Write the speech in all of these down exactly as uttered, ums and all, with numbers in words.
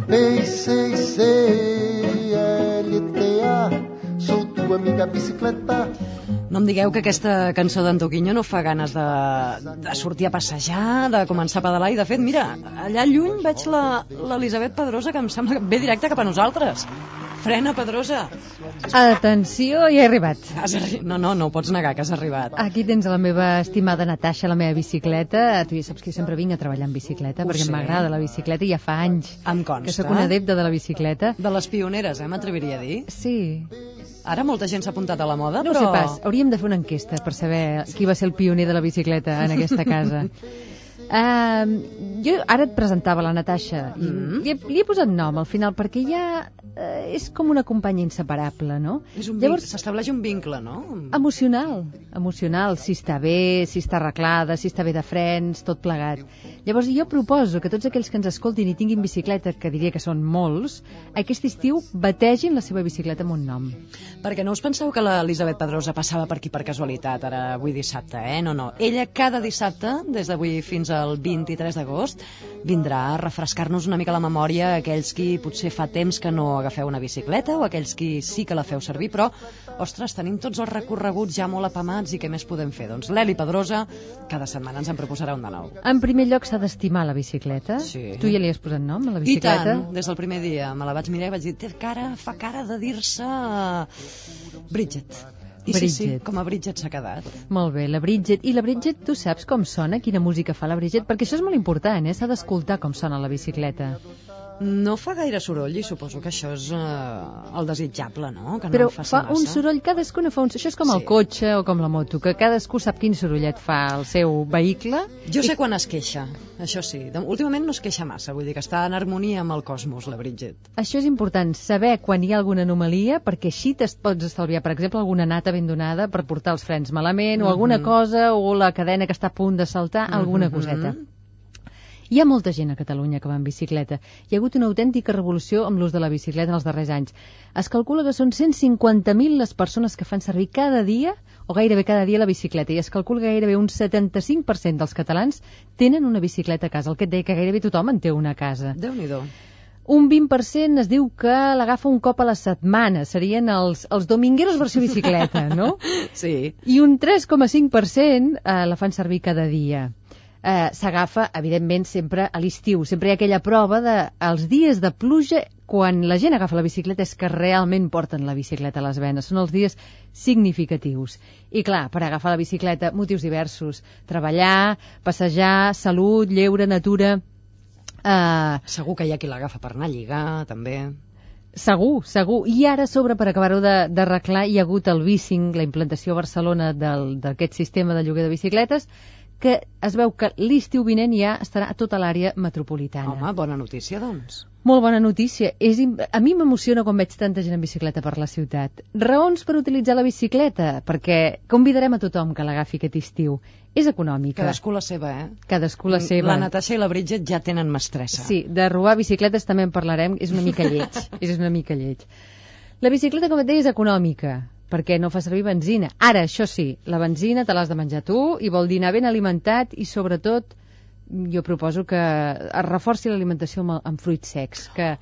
P C C L T A, sou tua amiga bicicleta. No em digueu que aquesta cançó d'en Toquinho no fa ganes de, de sortir a passejar, de començar a pedalar, i de fet, mira, allà lluny veig la l'Elisabet Pedrosa, que em sembla que ve directe cap a nosaltres. Frena, Pedrosa. Atenció, ja he arribat. Has arri... No, no, no ho pots negar que has arribat. Aquí tens la meva estimada Natasha, la meva bicicleta. Tu ja saps que jo sempre vinc a treballar en bicicleta, Ho perquè sé. m'agrada la bicicleta i ja fa anys Em consta. que sóc una adepta de la bicicleta. De les pioneres, eh, m'atreviria a dir. Sí. Ara molta gent s'ha apuntat a la moda, No ho però... sé pas, hauríem de fer una enquesta per saber qui va ser el pioner de la bicicleta en aquesta casa. Uh, jo ara et presentava la Natasha i Mm. li, he, li he posat nom al final perquè ja uh, és com una companya inseparable, no? És un Llavors, vincle, s'estableix un vincle, no? emocional, emocional, si està bé, si està arreglada, si està bé de frens, tot plegat. Llavors jo proposo que tots aquells que ens escoltin i tinguin bicicleta, que diria que són molts, aquest estiu bategin la seva bicicleta amb un nom. Perquè no us penseu que l'Elisabet Pedrosa passava per aquí per casualitat, ara avui dissabte, eh? No, no. Ella cada dissabte, des d'avui fins al vint-i-tres d'agost, vindrà a refrescar-nos una mica la memòria a aquells qui potser fa temps que no agafeu una bicicleta o aquells qui sí que la feu servir, però, ostres, tenim tots els recorreguts ja molt apamats i què més podem fer? Doncs l'Eli Pedrosa cada setmana ens en proposarà un de nou. En primer lloc s'ha d'estimar la bicicleta. Sí. Tu ja li has posat nom a la I bicicleta? tant, des del primer dia me la vaig mirar i vaig dir, té cara, fa cara de dir-se Bridget. I sí, sí, Bridget. com a Bridget s'ha quedat. Molt bé, la Bridget. I la Bridget, tu saps com sona, quina música fa la Bridget? Perquè això és molt important, eh? S'ha d'escoltar com sona la bicicleta. No fa gaire soroll i suposo que això és uh, el desitjable, no? Que no Però en faci fa massa. un soroll, cadascuna fa un... Això és com el Sí. cotxe o com la moto, que cadascú sap quin sorollet fa el seu vehicle. Jo sé quan es queixa, això sí. De- Últimament no es queixa massa, vull dir que està en harmonia amb el cosmos, la Bridget. Això és important, saber quan hi ha alguna anomalia, perquè així te'n pots estalviar, per exemple, alguna nata ben donada per portar els frens malament, o alguna Mhm. cosa, o la cadena que està a punt de saltar, alguna Mhm. coseta. Hi ha molta gent a Catalunya que va en bicicleta. Hi ha hagut una autèntica revolució amb l'ús de la bicicleta en els darrers anys. Es calcula que són cent cinquanta mil les persones que fan servir cada dia, o gairebé cada dia, la bicicleta, i es calcula que gairebé un setanta-cinc per cent dels catalans tenen una bicicleta a casa. El que et deia que gairebé tothom en té una a casa. Déu-n'hi-do. Un vint per cent es diu que l'agafa un cop a la setmana. Serien els, els domingueros versió bicicleta, no? Sí. I un tres coma cinc per cent eh, la fan servir cada dia. Eh, S'agafa, evidentment, sempre a l'estiu. Sempre hi ha aquella prova de els dies de pluja, quan la gent agafa la bicicleta és que realment porten la bicicleta a les venes. Són els dies significatius. I clar, per agafar la bicicleta, motius diversos. Treballar, passejar, salut, lleure, natura... Eh, Segur que hi ha qui l'agafa per anar a lligar, també. Segur, segur. I ara, a sobre, per acabar-ho de- d'arreglar, hi ha hagut el bicing, la implantació a Barcelona del- d'aquest sistema de lloguer de bicicletes, que es veu que l'estiu vinent ja estarà a tota l'àrea metropolitana. Home, bona notícia, doncs. Molt bona notícia. És, im- a mi m'emociona quan veig tanta gent en bicicleta per la ciutat. Raons per utilitzar la bicicleta? Perquè convidarem a tothom que l'agafi aquest estiu. És econòmica. Cadascú la seva, eh? Cadascú la seva. La Natasha i la Bridget ja tenen mestressa. Sí, de robar bicicletes també en parlarem, és una mica lleig, és una mica lleig. La bicicleta, com et deia, és econòmica, perquè no fa servir benzina. Ara, això sí, la benzina te l'has de menjar tu i vol dir anar ben alimentat i, sobretot, jo proposo que es reforci l'alimentació amb, amb fruits secs, que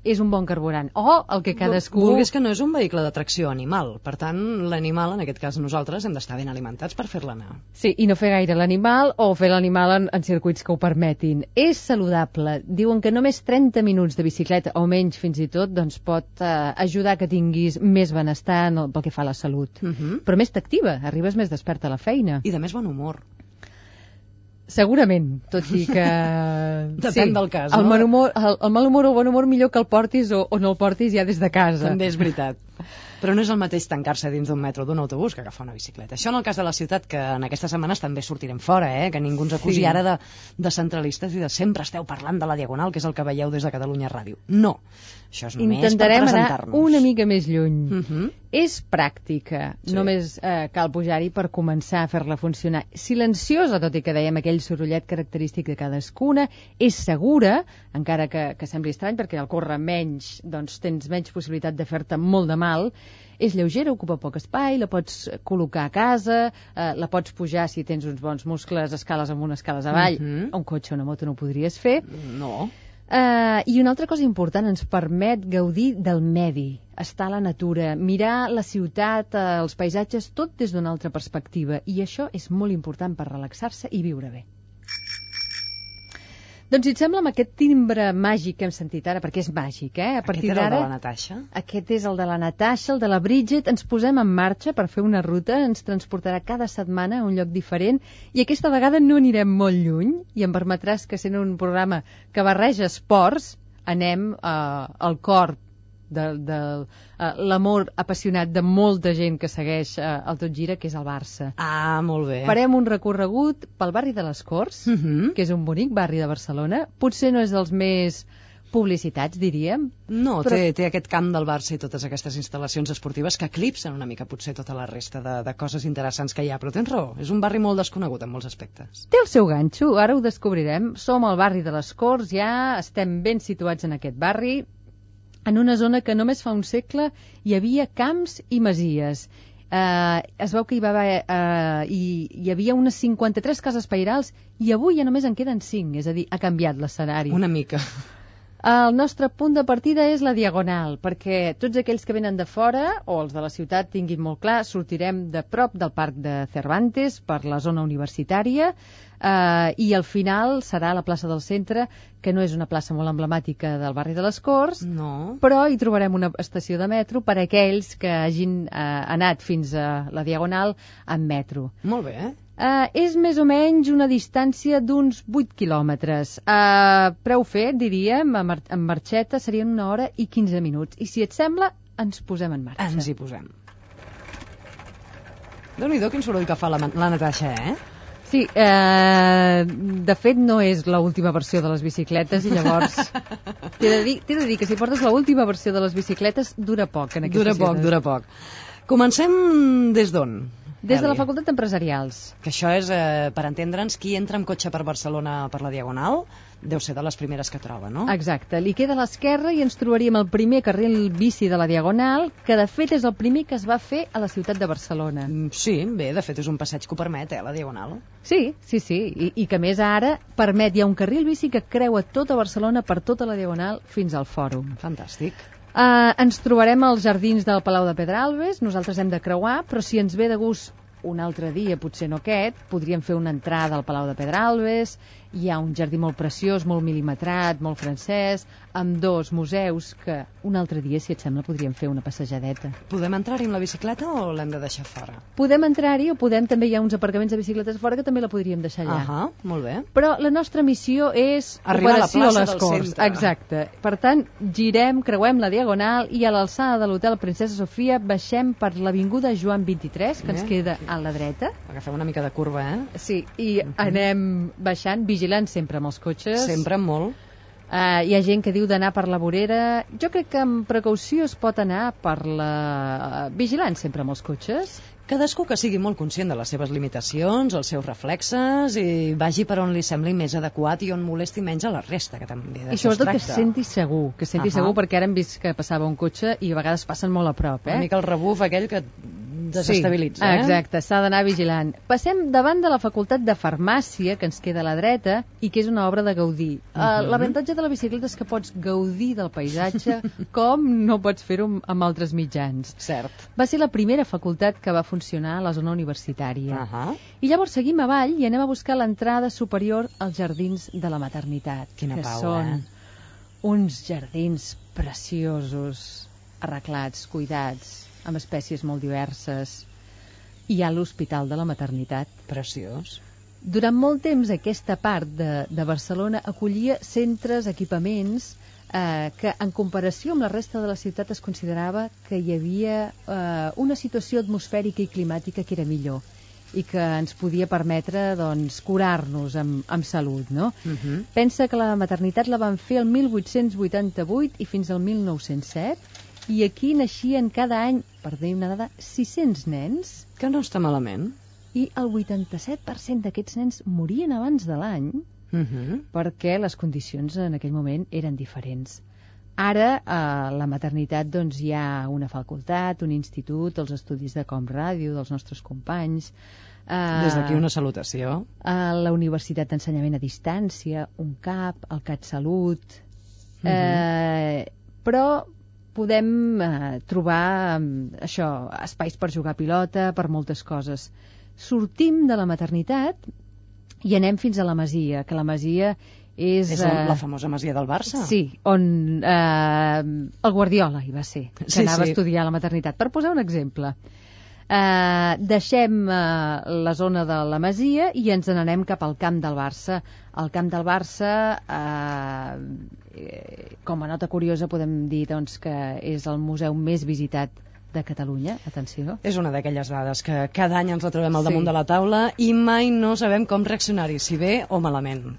és un bon carburant. O el que cadascú... Vulguis que no és un vehicle de tracció animal. Per tant, l'animal, en aquest cas nosaltres, hem d'estar ben alimentats per fer-la anar. Sí, i no fer gaire l'animal o fer l'animal en, en circuits que ho permetin. És saludable. Diuen que només trenta minuts de bicicleta, o menys fins i tot, doncs pot eh, ajudar que tinguis més benestar en el, pel que fa a la salut. Uh -huh. Però més t'activa, arribes més desperta a la feina. I de més bon humor. Segurament, tot i que... Depèn del cas, el no? mal humor, el, el mal humor o el bon humor millor que el portis o, o no el portis ja des de casa. També és veritat. Però no és el mateix tancar-se dins d'un metro o d'un autobús que agafar una bicicleta. Això en el cas de la ciutat, que en aquestes setmanes també sortirem fora, eh? Que ningú ens acusi Sí. ara de, de centralistes i de sempre esteu parlant de la Diagonal, que és el que veieu des de Catalunya Ràdio. No, això és només Intentarem per anar presentar-nos. una mica més lluny. Uh -huh. És pràctica, Sí. només eh, cal pujar-hi per començar a fer-la funcionar. Silenciosa, tot i que dèiem aquell sorollet característic de cadascuna, és segura, encara que, que sembli estrany, perquè al córrer menys, doncs tens menys possibilitat de fer-te molt de mal. És lleugera, ocupa poc espai, la pots col·locar a casa, eh, la pots pujar si tens uns bons muscles, escales amunt, escales avall. Mhm. Un cotxe o una moto no ho podries fer. No. Uh, I una altra cosa important, ens permet gaudir del medi, estar a la natura, mirar la ciutat, uh, els paisatges, tot des d'una altra perspectiva. I això és molt important per relaxar-se i viure bé. Doncs si et sembla, amb aquest timbre màgic que hem sentit ara, perquè és màgic, eh? A partir Aquest era el de d'ara, la Natasha? aquest és el de la Natasha, el de la Bridget, ens posem en marxa per fer una ruta, ens transportarà cada setmana a un lloc diferent i aquesta vegada no anirem molt lluny i em permetràs que sent un programa que barreja esports, anem eh, al cor de, de uh, l'amor apassionat de molta gent que segueix uh, el Tot Gira, que és el Barça. Ah, molt bé. Farem un recorregut pel barri de les Corts, Uh -huh. que és un bonic barri de Barcelona. Potser no és dels més publicitats, diríem. No, però... té, té aquest camp del Barça i totes aquestes instal·lacions esportives que eclipsen una mica potser tota la resta de, de coses interessants que hi ha, però tens raó, és un barri molt desconegut en molts aspectes. Té el seu ganxo, ara ho descobrirem. Som al barri de les Corts, ja estem ben situats en aquest barri, en una zona que només fa un segle hi havia camps i masies. Eh, es veu que hi va haver, eh, hi, hi havia unes cinquanta-tres cases pairals i avui ja només en queden cinc, és a dir, ha canviat l'escenari. Una mica. El nostre punt de partida és la Diagonal, perquè tots aquells que venen de fora o els de la ciutat tinguin molt clar, sortirem de prop del Parc de Cervantes per la zona universitària, eh, i al final serà la plaça del Centre, que no és una plaça molt emblemàtica del barri de les Corts, No. però hi trobarem una estació de metro per a aquells que hagin eh, anat fins a la Diagonal amb metro. Molt bé, eh? Uh, és més o menys una distància d'uns vuit quilòmetres. Uh, preu fet, diríem, amb, mar amb marxeta serien una hora i quinze minuts. I si et sembla, ens posem en marxa. Ens hi posem. Déu-n'hi-do quin soroll que fa la, la Natasha, eh? Sí, eh, de fet no és l'última versió de les bicicletes i llavors t'he de, dir, de dir que si portes l'última versió de les bicicletes dura poc en aquesta Dura ciutat. poc, dura poc. Comencem des d'on? Des de la Eli? Facultat d'Empresarials. Que això és, eh, per entendre'ns, qui entra amb cotxe per Barcelona per la Diagonal deu ser de les primeres que troba, no? Exacte, li queda a l'esquerra i ens trobaríem el primer carril bici de la Diagonal, que de fet és el primer que es va fer a la ciutat de Barcelona. Mm, Sí, bé, de fet és un passeig que ho permet, eh, la Diagonal. Sí, sí, sí, I, i que a més ara permet, hi ha un carril bici que creua tota Barcelona per tota la Diagonal fins al Fòrum. Fantàstic. Uh, ens trobarem als jardins del Palau de Pedralbes, nosaltres hem de creuar, però si ens ve de gust un altre dia, potser no aquest, podríem fer una entrada al Palau de Pedralbes, hi ha un jardí molt preciós, molt mil·limetrat, molt francès, amb dos museus que un altre dia, si et sembla, podríem fer una passejadeta. Podem entrar-hi amb la bicicleta o l'hem de deixar fora? Podem entrar-hi o podem, també hi ha uns aparcaments de bicicletes fora que també la podríem deixar allà. Ahà, molt bé. Però la nostra missió és Arribar a la operació plaça les del Corts. centre. Exacte. Per tant, girem, creuem la Diagonal i a l'alçada de l'hotel Princesa Sofia baixem per l'avinguda Joan vint-i-tres, que ens Eh. queda a la dreta. Agafem una mica de curva, eh? Sí, i anem baixant, vigilant sempre amb els cotxes. Sempre molt. Uh, hi ha gent que diu d'anar per la vorera. Jo crec que amb precaució es pot anar per la... Uh, vigilant sempre amb els cotxes. Cadascú que sigui molt conscient de les seves limitacions, els seus reflexes, i vagi per on li sembli més adequat i on molesti menys a la resta, que també I d'això es sobretot que tracta. es senti segur, que es senti Ahà. segur, perquè ara hem vist que passava un cotxe i a vegades passen molt a prop, eh? Una mica el rebuf aquell que desestabilitza, sí, eh? exacte, s'ha d'anar vigilant. Passem davant de la Facultat de Farmàcia, que ens queda a la dreta, i que és una obra de Gaudí. Uh -huh. uh, L'avantatge de la bicicleta és que pots gaudir del paisatge com no pots fer-ho amb, amb altres mitjans. Cert. Va ser la primera facultat que va funcionar a la zona universitària. Uh -huh. I llavors seguim avall i anem a buscar l'entrada superior als jardins de la maternitat. Quina que pau, són eh? uns jardins preciosos, arreglats, cuidats, amb espècies molt diverses. Hi ha l'Hospital de la Maternitat. Preciós. Durant molt temps aquesta part de, de Barcelona acollia centres, equipaments, eh, que en comparació amb la resta de la ciutat es considerava que hi havia eh, una situació atmosfèrica i climàtica que era millor i que ens podia permetre doncs, curar-nos amb, amb salut, no? Uh -huh. Pensa que la maternitat la van fer el mil vuit-cents vuitanta-vuit i fins al mil nou-cents set, i aquí naixien cada any per dir una dada, sis-cents nens, Que no està malament. i el vuitanta-set per cent d'aquests nens morien abans de l'any Uh -huh. perquè les condicions en aquell moment eren diferents. Ara, a la maternitat, doncs, hi ha una facultat, un institut, els estudis de Com Ràdio, dels nostres companys, eh, Des d'aquí una salutació. a la Universitat d'Ensenyament a Distància, un CAP, el CatSalut, Uh -huh. eh, però podem eh, trobar eh, això, espais per jugar a pilota, per moltes coses. Sortim de la maternitat i anem fins a la Masia, que la Masia és... És la, la famosa masia del Barça. Sí, on eh, el Guardiola hi va ser, que Sí, anava sí. a estudiar a la maternitat. Per posar un exemple, eh, deixem eh, la zona de la Masia i ens n'anem cap al camp del Barça. El camp del Barça, eh, eh, com a nota curiosa, podem dir doncs, que és el museu més visitat de Catalunya, atenció. És una d'aquelles dades que cada any ens la trobem al Sí. damunt de la taula i mai no sabem com reaccionar-hi, si bé o malament.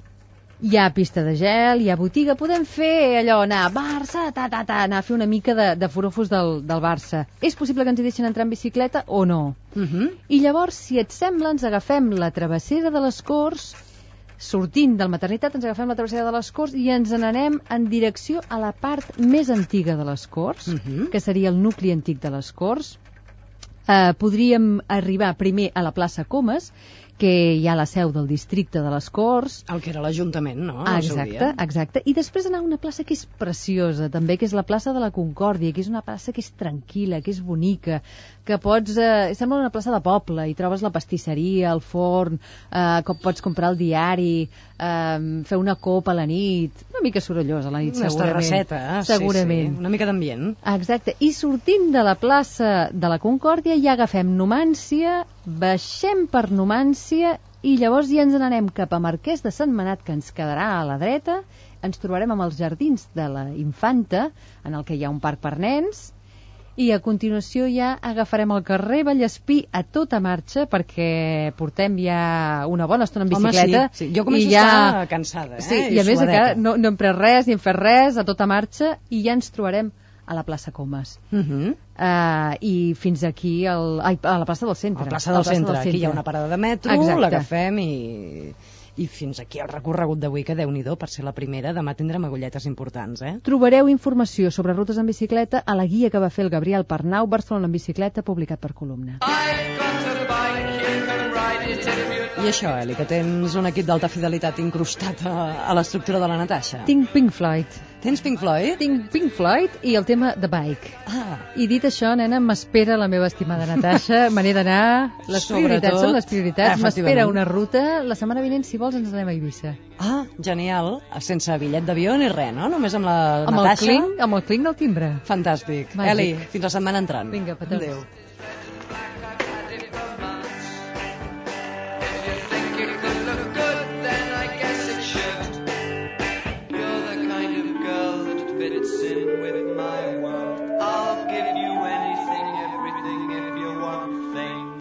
Hi ha pista de gel, hi ha botiga, podem fer allò, anar a Barça, ta, ta, ta, anar a fer una mica de, de forofos del, del Barça. És possible que ens hi deixen entrar en bicicleta o no? Uh -huh. I llavors, si et sembla, ens agafem la travessera de les Corts, sortint del maternitat, ens agafem la travessera de les Corts i ens n'anem en direcció a la part més antiga de les Corts, Uh -huh. que seria el nucli antic de les Corts. Eh, podríem arribar primer a la plaça Comas, que hi ha la seu del districte de les Corts. El que era l'Ajuntament, no? Ah, Al seu exacte, dia. exacte. I després anar a una plaça que és preciosa, també, que és la plaça de la Concòrdia, que és una plaça que és tranquil·la, que és bonica, que pots... Eh, sembla una plaça de poble, i trobes la pastisseria, el forn, eh, que pots comprar el diari, eh, fer una copa a la nit, una mica sorollosa a la nit, Una segurament. terrasseta, eh? Segurament. Sí, sí. Una mica d'ambient. Exacte, i sortint de la plaça de la Concòrdia ja agafem Numància, baixem per Numància i llavors ja ens n'anem cap a Marquès de Sentmenat, que ens quedarà a la dreta, ens trobarem amb els jardins de la Infanta, en el que hi ha un parc per nens, i a continuació ja agafarem el carrer Vallespí a tota marxa, perquè portem ja una bona estona en bicicleta. Home, sí, sí. Jo començo i ja... a estar cansada, eh? Sí, i a més encara no, no hem pres res, ni hem fet res, a tota marxa, i ja ens trobarem a la plaça Comas. Uh -huh. Uh, I fins aquí, el, ai, a la plaça del centre. A la plaça del centre. Aquí hi ha una parada de metro, Exacte. l'agafem i... I fins aquí el recorregut d'avui, que Déu-n'hi-do, per ser la primera, demà tindrem agulletes importants, eh? Trobareu informació sobre rutes en bicicleta a la guia que va fer el Gabriel Pernau, Barcelona en bicicleta, publicat per Columna. I això, Eli, que tens un equip d'alta fidelitat incrustat a, a l'estructura de la Natasha. Tinc Pink Floyd. Tens Pink Floyd? Tinc Pink Floyd i el tema The Bike. Ah, I dit això, nena, m'espera la meva estimada Natasha, me n'he d'anar, les Sobretot, prioritats són les prioritats, m'espera efectivament. una ruta, la setmana vinent, si vols, ens anem a Eivissa. ah, genial. Sense bitllet d'avió ni res, no? Només amb la Amb el, Natasha. clink, amb el clink del timbre. Fantàstic. Màgic. Eli, fins la setmana entrant. Vinga, petons. Adéu. You're the kind of girl that fits in with